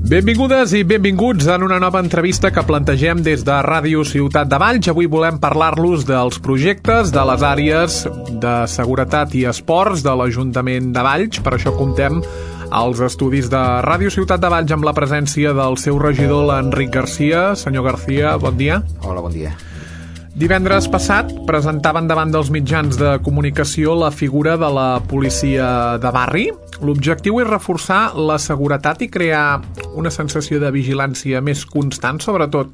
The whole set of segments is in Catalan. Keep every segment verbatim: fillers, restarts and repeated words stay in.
Benvingudes i benvinguts en una nova entrevista que plantegem des de Ràdio Ciutat de Valls. Avui volem parlar-los dels projectes de les àrees de seguretat i esports de l'Ajuntament de Valls. Per això comptem als estudis de Ràdio Ciutat de Valls amb la presència del seu regidor, l'Enric Garcia. Senyor Garcia, bon dia. Hola, bon dia. Divendres passat presentaven davant dels mitjans de comunicació la figura de la policia de barri. L'objectiu és reforçar la seguretat i crear una sensació de vigilància més constant, sobretot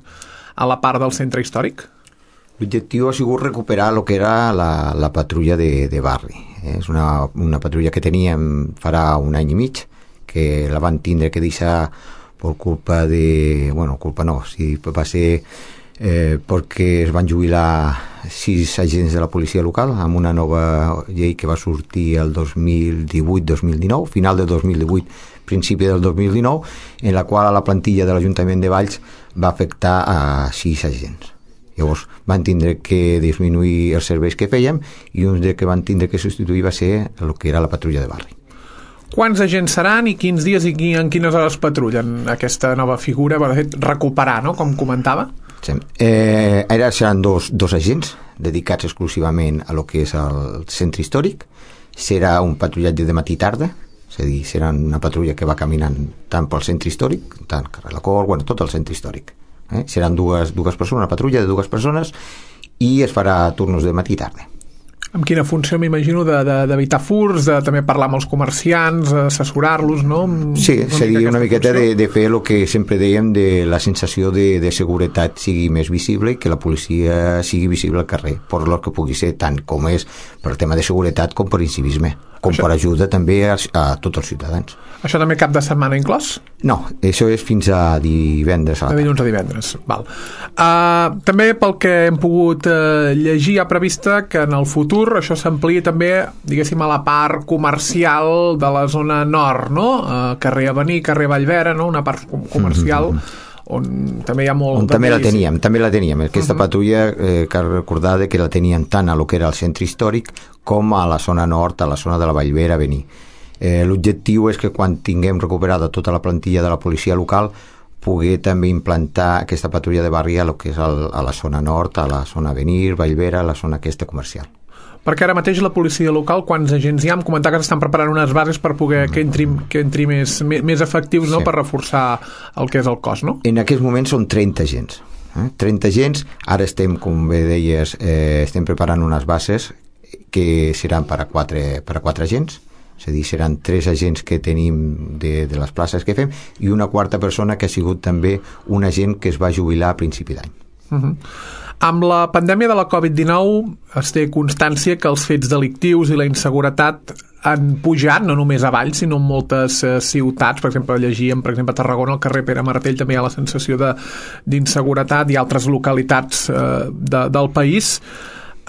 a la part del centre històric? L'objectiu ha sigut recuperar el que era la, la patrulla de, de barri. És una, una patrulla que teníem farà un any i mig, que la van tindre que deixar per culpa de... Bueno, culpa no, sí, va ser... Eh, perquè es van jubilar sis agents de la policia local amb una nova llei que va sortir el dos mil divuit dos mil dinou, final del dos mil divuit, principi del dos mil dinou, en la qual la plantilla de l'Ajuntament de Valls va afectar a sis agents. Llavors van tindre que disminuir els serveis que fèiem i un que van tindre que substituir va ser el que era la patrulla de barri. Quants agents seran i quins dies i en quines hores patrullen aquesta nova figura? Va recuperar, no?, com comentava. Sí. Eh, ara seran dos, dos agents dedicats exclusivament a lo que és el centre històric. Serà un patrullatge de matí i tarda, és a dir, serà una patrulla que va caminant tant pel centre històric, tant carrer la Cor, bueno, tot el centre històric. Eh? Seran dues, dues persones, una patrulla de dues persones, i es farà turnos de matí i tarda. Amb quina funció, m'imagino, d'evitar de, furs, de també parlar amb els comerciants, assessorar-los, no? Sí, seria una miqueta de, de fer el que sempre dèiem, de la sensació de, de seguretat sigui més visible i que la policia sigui visible al carrer, per lo que pugui ser, tant com és per tema de seguretat com per incivisme, com això... per ajuda també a, a tots els ciutadans. Això també cap de setmana inclòs? No, això és fins a divendres a la tarda. De dilluns a divendres, val. Uh, també pel que hem pogut uh, llegir, hi ha prevista que en el futur això s'ampliï també, diguéssim, a la part comercial de la zona nord, no? Uh, carrer Avenir, carrer Vallvera, no? Una part comercial mm-hmm. on també hi ha molt... On també la teníem, també la teníem. Aquesta uh-huh. patrulla, eh, cal recordar que la teníem tant a lo que era el centre històric com a la zona nord, a la zona de la Vallvera, Avenir. Eh, l'objectiu és que quan tinguem recuperada tota la plantilla de la policia local poder també implantar aquesta patrulla de barri a lo que és el, a la zona nord, a la zona Avenir, Vallvera, a la zona aquesta comercial. Perquè ara mateix la policia local, quants agents hi ha? Em comentar que s'estan preparant unes bases per poder que entri, que entri més, més efectius, no? Sí. Per reforçar el que és el cos, no? En aquests moments són trenta agents. Eh? trenta agents, ara estem, com bé deies, eh, estem preparant unes bases que seran per a quatre, per a quatre agents, és a dir, seran tres agents que tenim de, de les places que fem i una quarta persona que ha sigut també un agent que es va jubilar a principi d'any. Uh-huh. Amb la pandèmia de la covid dinou es té constància que els fets delictius i la inseguretat han pujat, no només a Valls, sinó en moltes eh, ciutats. Per exemple, llegíem, per exemple, a Tarragona, al carrer Pere Martell, també hi ha la sensació de, d'inseguretat i altres localitats eh, de, del país.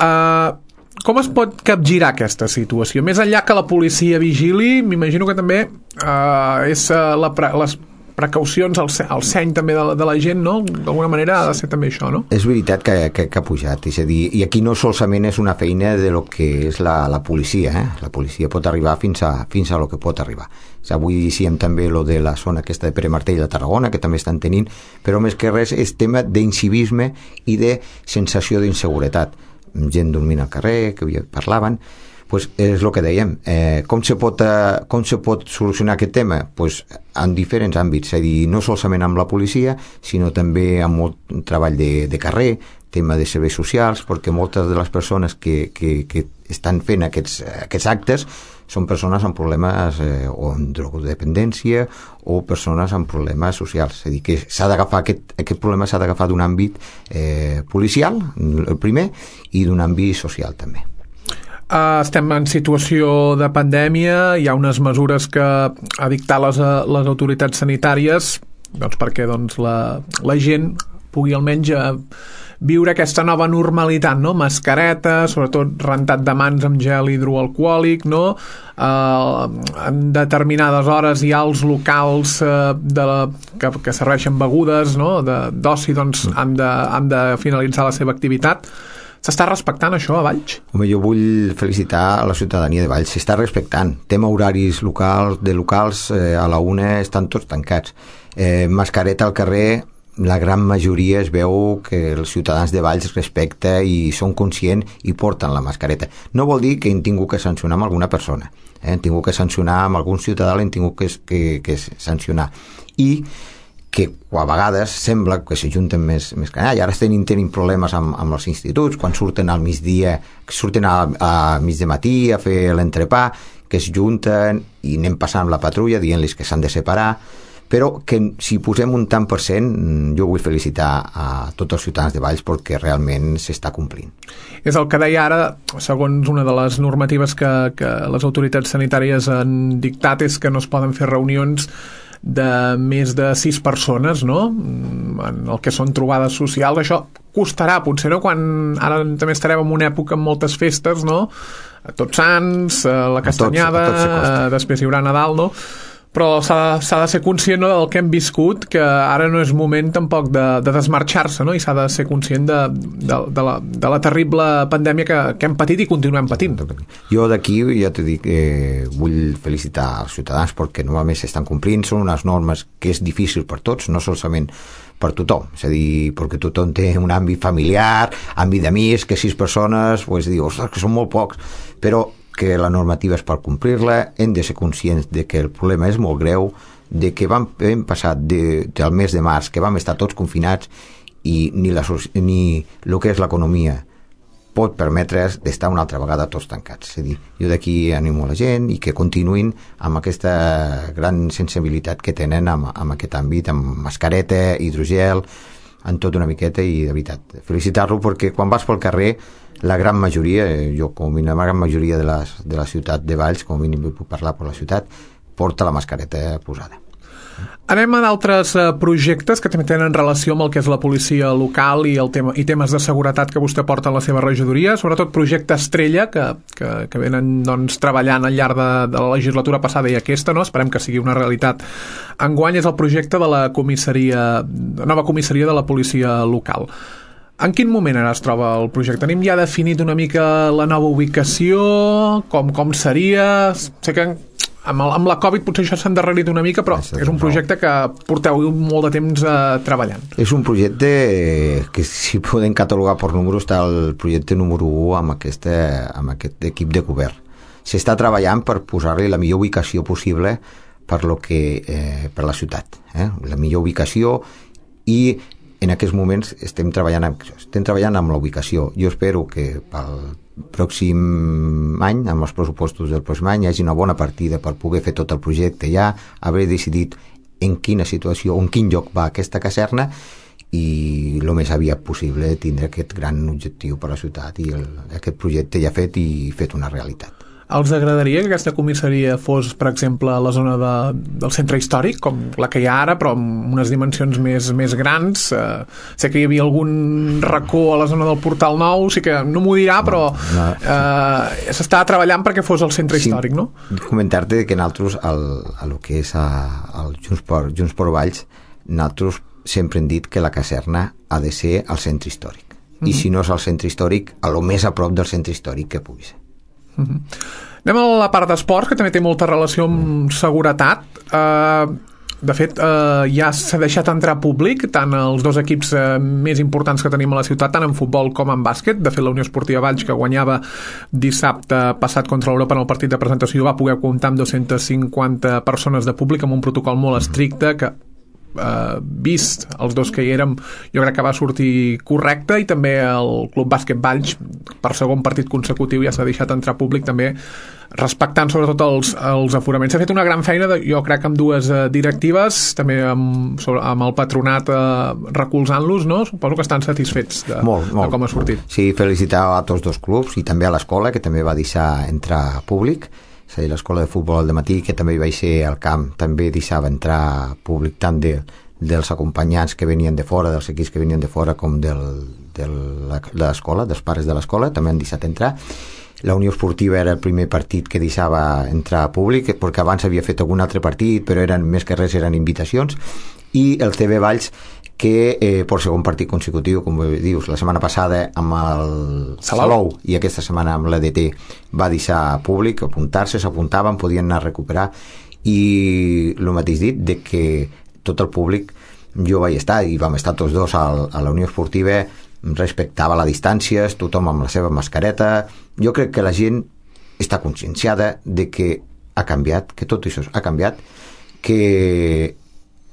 Eh... Com es pot capgirar aquesta situació? Més enllà que la policia vigili, m'imagino que també eh, és la pre les precaucions, el, el seny també de la, de la gent, no? D'alguna manera ha de ser també això, no? És veritat que, que, que ha pujat, és a dir, i aquí no solament és una feina de lo que és la, la policia, eh? La policia pot arribar fins a, fins a lo que pot arribar. Avui dicíem també lo de la zona aquesta de Pere Martell de Tarragona, que també estan tenint, però més que res és tema d'incivisme i de sensació d'inseguretat. Gent dormint al carrer, que avui parlaven, pues és el que dèiem. Eh, com, se pot, eh, com se pot solucionar aquest tema? Pues en diferents àmbits, és a dir, no solament amb la policia, sinó també amb molt treball de, de carrer, tema de serveis socials, perquè moltes de les persones que, que, que estan fent aquests, aquests actes són persones amb problemes eh, o amb drogodependència o persones amb problemes socials. És a dir, que s'ha d'agafar aquest, aquest problema s'ha d'agafar d'un àmbit eh, policial, el primer, i d'un àmbit social també. Uh, estem en situació de pandèmia, hi ha unes mesures que ha dictat les, les autoritats sanitàries, doncs perquè doncs, la, la gent pugui almenys uh, viure aquesta nova normalitat, no? Mascareta, sobretot rentat de mans amb gel hidroalcohòlic, no? Uh, en determinades hores hi ha els locals uh, de la, que, que serveixen begudes, no? De, d'oci, doncs han de, han de finalitzar la seva activitat. S'està respectant això a Valls? Home, jo vull felicitar a la ciutadania de Valls. S'està respectant. Tema horaris locals, de locals, eh, a la una estan tots tancats. Eh, mascareta al carrer, la gran majoria es veu que els ciutadans de Valls respecta i són conscients i porten la mascareta. No vol dir que hem tingut que sancionar amb alguna persona, eh? hem tingut que sancionar amb algun ciutadà, l'hem tingut que, que, que sancionar. I que a vegades sembla que s'ajunten més, més canalla. Ara estem tenint problemes amb, amb els instituts, quan surten al migdia, surten a, a mig de matí a fer l'entrepà, que es junten i anem passant la patrulla dient-los que s'han de separar, però que si posem un tant per cent, jo vull felicitar a tots els ciutadans de Valls perquè realment s'està complint. És el que deia ara, segons una de les normatives que, que les autoritats sanitàries han dictat, és que no es poden fer reunions de més de sis persones, no? En el que són trobades socials. Això costarà, potser, no? Quan ara també estarem en una època amb moltes festes, no? A Tots Sants, a la Castanyada, a tots, a tots després hi haurà Nadal, no? Però s'ha, s'ha de ser conscient, no, del que hem viscut, que ara no és moment tampoc de, de desmarxar-se, no? I s'ha de ser conscient de, de, de, la, de la terrible pandèmia que, que hem patit i continuem patint. Jo d'aquí ja t'ho dic, eh, vull felicitar els ciutadans perquè normalment s'estan complint, són unes normes que és difícil per tots, no solament per tothom, és a dir, perquè tothom té un àmbit familiar, àmbit d'amics, que sis persones, pues, dius, ostres, que són molt pocs, però que la normativa és per complir-la, hem de ser conscients de que el problema és molt greu, de que vam, hem passat de, del mes de març, que vam estar tots confinats i ni, la, ni el que és l'economia pot permetre's d'estar una altra vegada tots tancats. És a dir, jo d'aquí animo la gent i que continuïn amb aquesta gran sensibilitat que tenen amb, amb aquest àmbit, amb mascareta, hidrogel, en tot una miqueta, i de veritat, felicitar-lo perquè quan vas pel carrer la gran majoria, jo com a mínim la gran majoria de la, de la ciutat de Valls, com a mínim puc parlar per la ciutat, porta la mascareta posada. Anem a d'altres uh, projectes que també tenen relació amb el que és la policia local i, el tema, i temes de seguretat que vostè porta en la seva regidoria, sobretot projecte Estrella, que, que, que venen doncs, treballant al llarg de, de la legislatura passada i aquesta, no? Esperem que sigui una realitat. Enguany és el projecte de la comissaria, de nova comissaria de la policia local. En quin moment ara es troba el projecte? Tenim ja definit una mica la nova ubicació, com, com seria... Sé que amb, el, amb la Covid potser això s'ha endarrerit una mica, però és un projecte que porteu molt de temps eh, treballant. És un projecte que, si podem catalogar per números, està el projecte número u amb, aquesta, amb aquest equip de govern. S'està treballant per posar-li la millor ubicació possible per, lo que, eh, per la ciutat. Eh? La millor ubicació, i en aquests moments estem treballant amb, estem treballant amb la ubicació. Jo espero que pel pròxim any, amb els pressupostos del pròxim any, hi hagi una bona partida per poder fer tot el projecte ja, haver decidit en quina situació, en quin lloc va aquesta caserna, i el més aviat possible tindre aquest gran objectiu per a la ciutat i el, aquest projecte ja fet i fet una realitat. Els agradaria que aquesta comissaria fos, per exemple, a la zona de, del centre històric, com la que hi ha ara, però amb unes dimensions més, més grans? Eh, sé que hi havia algun racó a la zona del Portal Nou, sí que no m'ho dirà, però no, no. Eh, s'està treballant perquè fos el centre sí, històric, no? Comentar-te que nosaltres, al, a lo que és a, al Junts per, Junts per Valls, nosaltres sempre hem dit que la caserna ha de ser al centre històric. Mm-hmm. I si no és al centre històric, a lo més a prop del centre històric que pugui ser. Uh-huh. Anem a la part d'esports, que també té molta relació amb seguretat. Uh, de fet, uh, ja s'ha deixat entrar públic tant els dos equips uh, més importants que tenim a la ciutat, tant en futbol com en bàsquet. De fet, la Unió Esportiva Valls, que guanyava dissabte passat contra l'Europa en el partit de presentació, va poder comptar amb dues-centes cinquanta persones de públic, amb un protocol molt estricte que Uh, vist els dos que hi érem, jo crec que va sortir correcte, i també el Club Bàsquet Valls, per segon partit consecutiu, ja s'ha deixat entrar públic, també respectant sobretot els, els aforaments. S'ha fet una gran feina, de, jo crec, amb dues uh, directives, també amb, sobre, amb el patronat uh, recolzant-los, no? Suposo que estan satisfets de, molt, molt. de com ha sortit. Sí, felicitar a tots dos clubs i també a l'escola, que també va deixar entrar públic. És a dir, l'escola de futbol al dematí, que també hi vaig ser al camp, també deixava entrar públic tant de, dels acompanyants que venien de fora, dels equips que venien de fora, com del, de l'escola, dels pares de l'escola, també han deixat entrar. La Unió Esportiva era el primer partit que deixava entrar públic, perquè abans havia fet algun altre partit, però eren més que res eren invitacions, i el T V Valls, que eh, per segon partit consecutiu, com dius, la setmana passada amb el Salou, Salou i aquesta setmana amb l'E D T va deixar públic apuntar-se, s'apuntaven, podien anar a recuperar, i el mateix dit de que tot el públic, jo vaig estar i vam estar tots dos al, a la Unió Esportiva, respectava la distància, tothom amb la seva mascareta. Jo crec que la gent està conscienciada de que ha canviat, que tot això ha canviat, que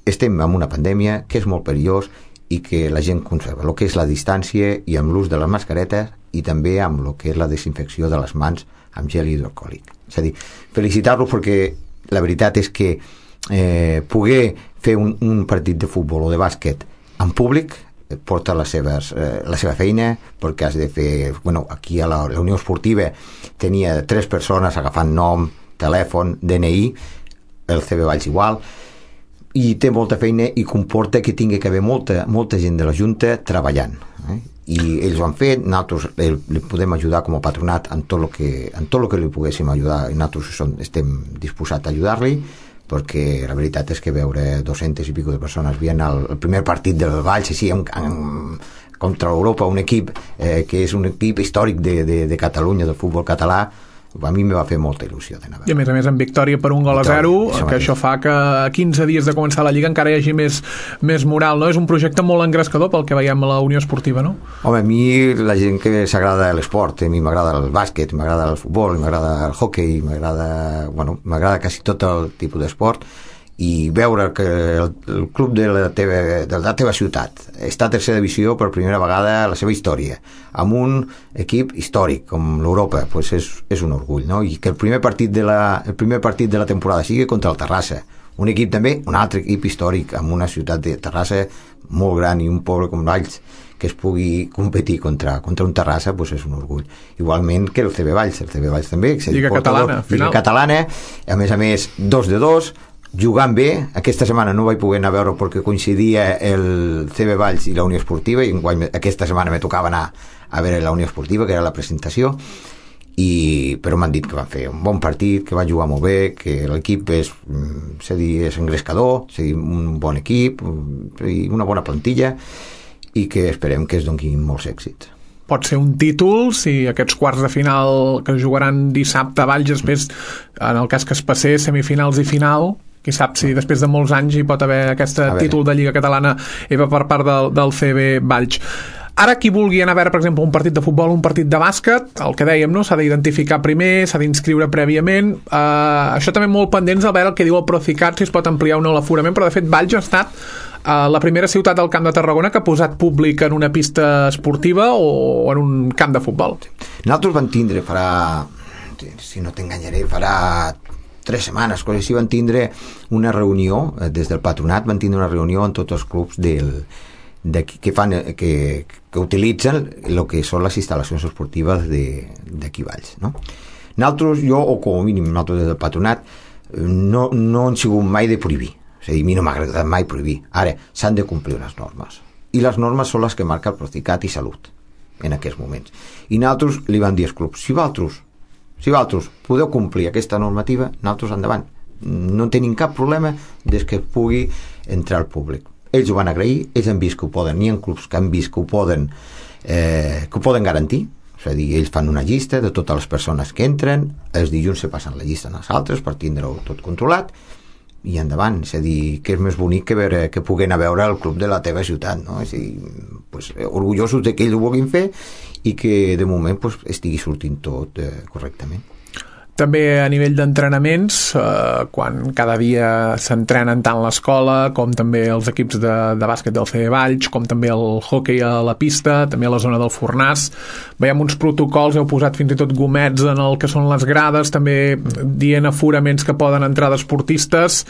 estem en una pandèmia, que és molt perillós i que la gent conserva el que és la distància i amb l'ús de les mascaretes i també amb el que és la desinfecció de les mans amb gel hidroalcohòlic. És a dir, felicitar-los perquè la veritat és que eh, poder fer un, un partit de futbol o de bàsquet en públic porta les seves, eh, la seva feina, perquè has de fer, bueno, aquí a la, la Unió Esportiva tenia tres persones agafant nom, telèfon, D N I, el C B Valls igual, i té molta feina i comporta que tingui que haver molta, molta gent de la Junta treballant, eh? I ells ho han fet, nosaltres eh, li podem ajudar com a patronat en tot el que, en tot el que li poguéssim ajudar, i nosaltres som, estem disposats a ajudar-li, perquè la veritat és que veure dos-centes i pico de persones veient el, el primer partit del Valls així en, en, contra Europa, un equip eh, que és un equip històric de, de, de Catalunya, del futbol català, a mi me va fer molta il·lusió d'anar a veure. I a més a més en victòria per un gol a zero, això que això fa que a quinze dies de començar la Lliga encara hi hagi més, més moral, no? És un projecte molt engrescador pel que veiem a la Unió Esportiva, no? Home, a mi la gent que s'agrada l'esport, a mi m'agrada el bàsquet, m'agrada el futbol, m'agrada el hockey, m'agrada, bueno, m'agrada quasi tot el tipus d'esport, i veure que el, el club de la, teva, de la teva ciutat està a tercera divisió per primera vegada a la seva història, amb un equip històric com l'Europa, pues és, és un orgull, no? I que el primer partit de la, el primer partit de la temporada sigui contra el Terrassa, un equip també, un altre equip històric amb una ciutat de Terrassa molt gran i un poble com Valls, que es pugui competir contra, contra un Terrassa, pues és un orgull. Igualment que el C B Valls, el C B Valls també, Lliga Catalana, Lliga Catalana, a més a més dos de dos, jugant bé. Aquesta setmana no vaig poder anar a veure perquè coincidia el C B Valls i la Unió Esportiva, i aquesta setmana me tocava anar a veure la Unió Esportiva, que era la presentació, i, però m'han dit que van fer un bon partit, que van jugar molt bé, que l'equip és, és, dir, és engrescador, és dir, un bon equip i una bona plantilla, i que esperem que es donin molts èxits. Pot ser un títol si aquests quarts de final que jugaran dissabte a Valls, després, en el cas que es passés, semifinals i final, qui sap si després de molts anys hi pot haver aquest títol de Lliga Catalana Eva per part del, del C B Valls. Ara qui vulgui anar a veure, per exemple, un partit de futbol, un partit de bàsquet, el que dèiem, no? S'ha d'identificar primer, s'ha d'inscriure prèviament, uh, això també molt pendents a veure el que diu el Procicat, si es pot ampliar o no l'aforament, però de fet Valls ha estat uh, la primera ciutat del Camp de Tarragona que ha posat públic en una pista esportiva o en un camp de futbol. Nosaltres vam tindre, farà, si no t'enganyaré, farà tres setmanes, quan així van tindre una reunió, des del patronat van tindre una reunió amb tots els clubs del, de, que, fan, que, que utilitzen el que són les instal·lacions esportives d'aquí Valls, no? Nosaltres, jo, o com a mínim nosaltres des del patronat, no, no hem sigut mai de prohibir, és a dir, a mi no m'ha agradat mai prohibir. Ara, s'han de complir les normes, i les normes són les que marca el Procicat i Salut en aquests moments, i nosaltres li van dir als clubs, si vosaltres Si vosaltres podeu complir aquesta normativa, nosaltres endavant. No tenim cap problema des que pugui entrar al públic. Ells ho van agrair, ells han vist que ho poden, hi ha clubs que han vist que ho poden, eh, que ho poden garantir, és a dir, ells fan una llista de totes les persones que entren, els dilluns se passen la llista als altres per tindre-ho tot controlat, i endavant, és a dir, que és més bonic que, veure, que puguen a veure el club de la teva ciutat, no? És a dir, pues, orgullosos de que ells ho vulguin fer i que de moment pues, estigui sortint tot eh, correctament. També a nivell d'entrenaments, eh, quan cada dia s'entrenen tant l'escola com també els equips de, de bàsquet del C B Valls, com també el hoquei a la pista, també a la zona del Fornàs, veiem uns protocols, heu posat fins i tot gomets en el que són les grades, també dient aforaments que poden entrar d'esportistes,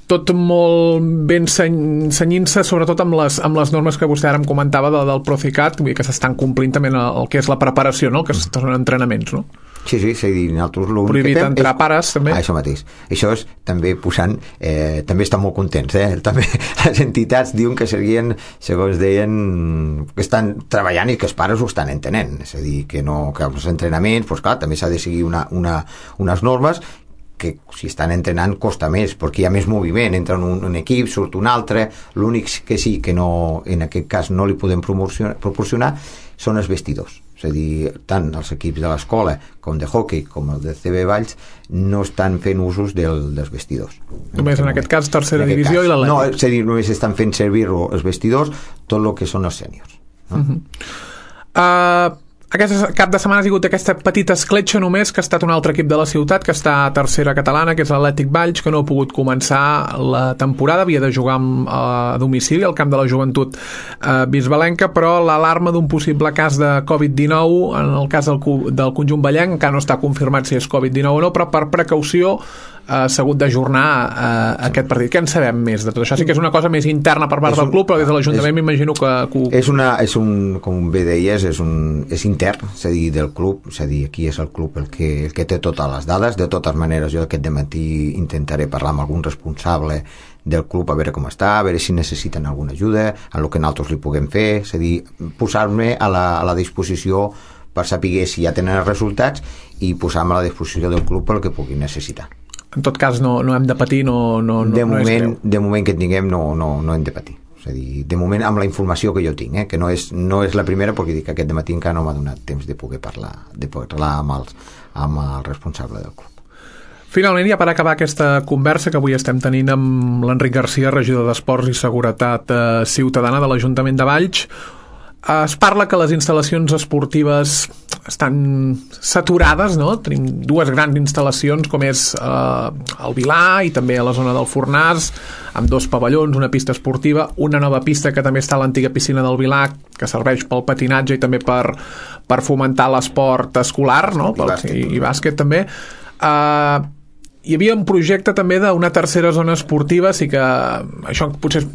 tot molt ben senyint-se, sobretot amb les, amb les normes que vostè ara em comentava de, del Procicat, que s'estan complint també el, el que és la preparació, no? Que són entrenaments, no? Sí, sí, és a dir, nosaltres l'únic prohibit que fem entrar és... pares, també. Ah, això mateix. Això és també posant... Eh, també estan molt contents, eh? També les entitats diuen que serien, segons deien, que estan treballant i que els pares ho estan entenent. És a dir, que no, que els entrenaments, doncs clar, també s'ha de seguir una, una, unes normes que si estan entrenant costa més, perquè hi ha més moviment, entra un, un equip, surt un altre, l'únic que sí que no, en aquest cas no li podem proporcionar, proporcionar són els vestidors. És a dir, tant els equips de l'escola com de hockey com el de C B Valls no estan fent usos del, dels vestidors. Només en, en aquest cas tercera aquest divisió cas. I l'Atlètic. No, és a dir, només estan fent servir els vestidors tot el que són els sèniors. No? Uh-huh. Uh, aquest cap de setmana ha sigut aquesta petita escletxa només, que ha estat un altre equip de la ciutat que està a tercera catalana, que és l'Atlètic Valls, que no ha pogut començar la temporada, havia de jugar a domicili al camp de la joventut eh, bisbalenca, però l'alarma d'un possible cas de covid dinou en el cas del, del conjunt ballenc encara no està confirmat si és covid dinou o no, però per precaució s'ha uh, hagut d'ajornar uh, aquest partit. Què en sabem més de tot això? Sí que és una cosa més interna per part un, del club, però des de l'Ajuntament m'imagino que, que... És, una, és un, com bé deies, és, un, és intern, és a dir, del club, és a dir, aquí és el club el que, el que té totes les dades. De totes maneres, jo aquest dematí intentaré parlar amb algun responsable del club a veure com està, a veure si necessiten alguna ajuda, a el que nosaltres li puguem fer, és a dir, posar-me a la, a la disposició per saber si ja tenen els resultats i posar-me a la disposició del club pel que pugui necessitar. En tot cas no, no hem de patir, no, no, de, no moment, de moment que tinguem no, no, no hem de patir. És a dir, de moment amb la informació que jo tinc, eh, que no és, no és la primera, perquè dic que aquest dematí encara no m'ha donat temps de poder parlar, de poder parlar amb, els, amb el responsable del club. Finalment, ja per acabar aquesta conversa que avui estem tenint amb l'Enric Garcia, regidor d'Esports i Seguretat eh, Ciutadana de l'Ajuntament de Valls, es parla que les instal·lacions esportives estan saturades, no? Tenim dues grans instal·lacions com és eh, el Vilar i també a la zona del Fornàs, amb dos pavellons, una pista esportiva, una nova pista que també està a l'antiga piscina del Vilar, que serveix pel patinatge i també per, per fomentar l'esport escolar, no? Pel, i, i bàsquet també. Eh, hi havia un projecte també d'una tercera zona esportiva, sí que això potser és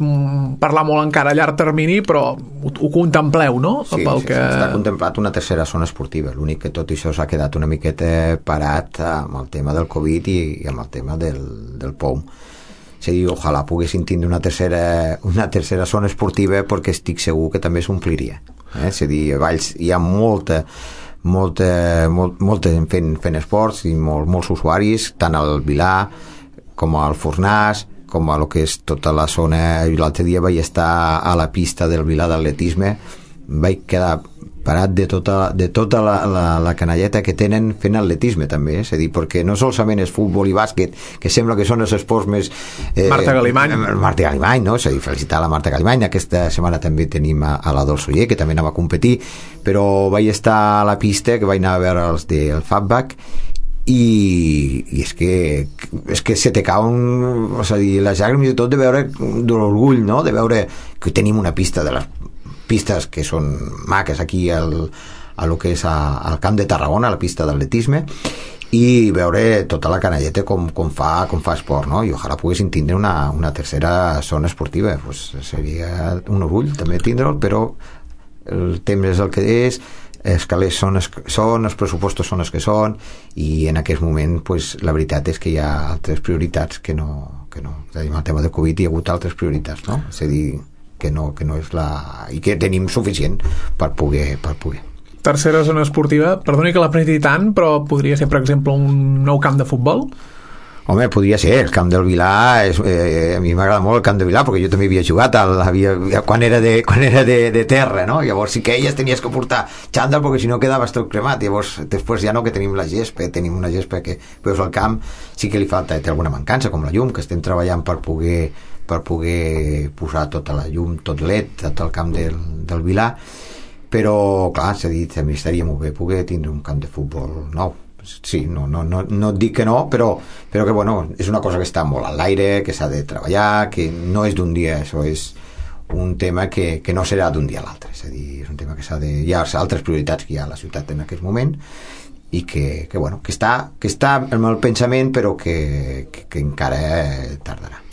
parlar molt encara a llarg termini, però ho, ho contempleu, no? Sí, Pel sí, que... sí, està contemplat una tercera zona esportiva, l'únic que tot això s'ha quedat una miqueta parat amb el tema del Covid i, i amb el tema del, del P O M. És a dir, ojalà poguessin tindre una tercera, una tercera zona esportiva, perquè estic segur que també s'ompliria. Eh? És a dir, a Valls hi ha molta molta, molt, molta gent fent, fent esports i molt, molts usuaris, tant al Vilar com al Fornàs, com a lo que és tota la zona. L'altre dia vaig estar a la pista del Vilar d'atletisme, vaig quedar parat de tota, de tota la, la, la canalleta que tenen fent atletisme també, és a dir, perquè no solament és futbol i bàsquet, que sembla que són els esports més... Eh, Marta Galimany. Marta Galimany, no? És a dir, felicitar la Marta Galimany. Aquesta setmana també tenim a, a la Dolça Oller, que també anava a competir, però vaig estar a la pista, que vaig anar a veure els del Fatback, i, i és que és que se te cauen, és a dir, les llàgrimes i tot de veure, de l'orgull, no? De veure que tenim una pista de les pistes que són maques aquí al, a lo que és a, al camp de Tarragona, a la pista d'atletisme, i veure tota la canalleta com, com, fa, com fa esport, no? I ojalà poguessin tindre una, una tercera zona esportiva, pues seria un orgull també tindre'l, però el temps és el que és, els calés són, són, els pressupostos són els que són, i en aquest moment pues, la veritat és que hi ha altres prioritats que no, que no. És a dir, amb el tema del Covid hi ha hagut altres prioritats, no? És a dir, que no, que no és la... i que tenim suficient per poder, per poder. Tercera zona esportiva, perdoni que l'apreti tant, però podria ser, per exemple, un nou camp de futbol? Home, podria ser, el camp del Vilar és, eh, a mi m'agrada molt el camp del Vilar perquè jo també havia jugat al, havia, quan era, de, quan era de, de terra, no? Llavors sí que elles tenies que portar xandall perquè si no quedaves tot cremat. Llavors després ja no, que tenim la gespa, tenim una gespa que veus al camp, sí que li falta, té alguna mancança, com la llum, que estem treballant per poder per poder posar tota la llum, tot l'E D, tot el camp del, del Vilar, però clar, s'ha dit, també estaria molt bé poder tindre un camp de futbol nou. Sí, no, no, no, no et dic que no, però, però que bueno, és una cosa que està molt a l'aire, que s'ha de treballar, que no és d'un dia, això és un tema que, que no serà d'un dia a l'altre, és a dir, és un tema que s'ha de... Hi ha altres prioritats que hi ha a la ciutat en aquest moment, i que, que bueno, que està, que està en el pensament, però que, que, que encara tardarà.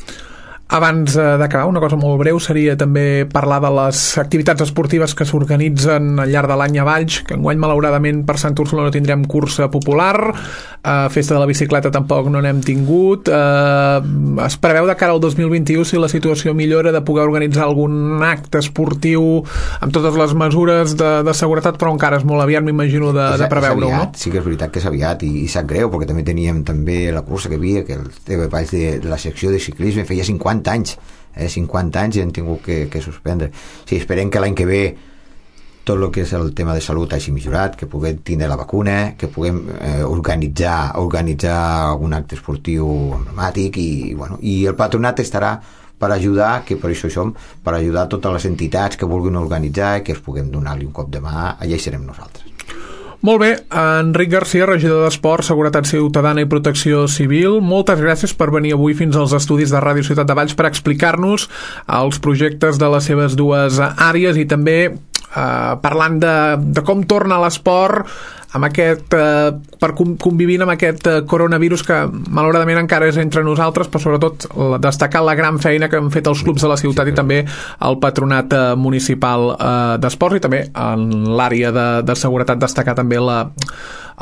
Abans d'acabar, una cosa molt breu seria també parlar de les activitats esportives que s'organitzen al llarg de l'any a Valls, que enguany malauradament per Sant Úrsula no tindrem cursa popular, eh, festa de la bicicleta tampoc no n'hem tingut, eh, es preveu de cara al dos mil vint-i-u, si la situació millora, de poder organitzar algun acte esportiu amb totes les mesures de, de seguretat, però encara és molt aviat, m'imagino, de, de preveure-ho, no? Sí que és veritat que és aviat, i, i sap greu, perquè també teníem també la cursa que havia, que el T V Valls de, de la secció de ciclisme feia cinquanta anys, eh, cinquanta anys i han tingut que, que suspendre. Sí, esperem que l'any que ve tot el que és el tema de salut hagi millorat, que puguem tindre la vacuna, que puguem eh, organitzar organitzar algun acte esportiu emblemàtic, i, bueno, i el patronat estarà per ajudar, que per això hi som, per ajudar totes les entitats que vulguin organitzar i que es puguem donar-li un cop de mà, allà hi serem nosaltres. Molt bé, Enric Garcia, regidor d'Esport, Seguretat Ciutadana i Protecció Civil, moltes gràcies per venir avui fins als estudis de Ràdio Ciutat de Valls per explicar-nos els projectes de les seves dues àrees i també eh, parlant de, de com torna l'esport amb aquest, eh, per convivint amb aquest eh, coronavirus que malauradament encara és entre nosaltres, però sobretot la, destacar la gran feina que han fet els clubs de la ciutat i també el patronat eh, municipal eh, d'esports, i també en l'àrea de, de seguretat destacar també la,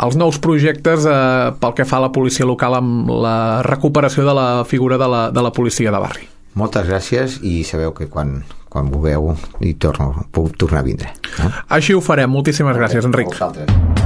els nous projectes eh, pel que fa a la policia local amb la recuperació de la figura de la, de la policia de barri. Moltes gràcies, i sabeu que quan, quan vulgueu hi torno, puc tornar a vindre. Eh? Així ho farem. Moltíssimes gràcies, Enric. A vosaltres.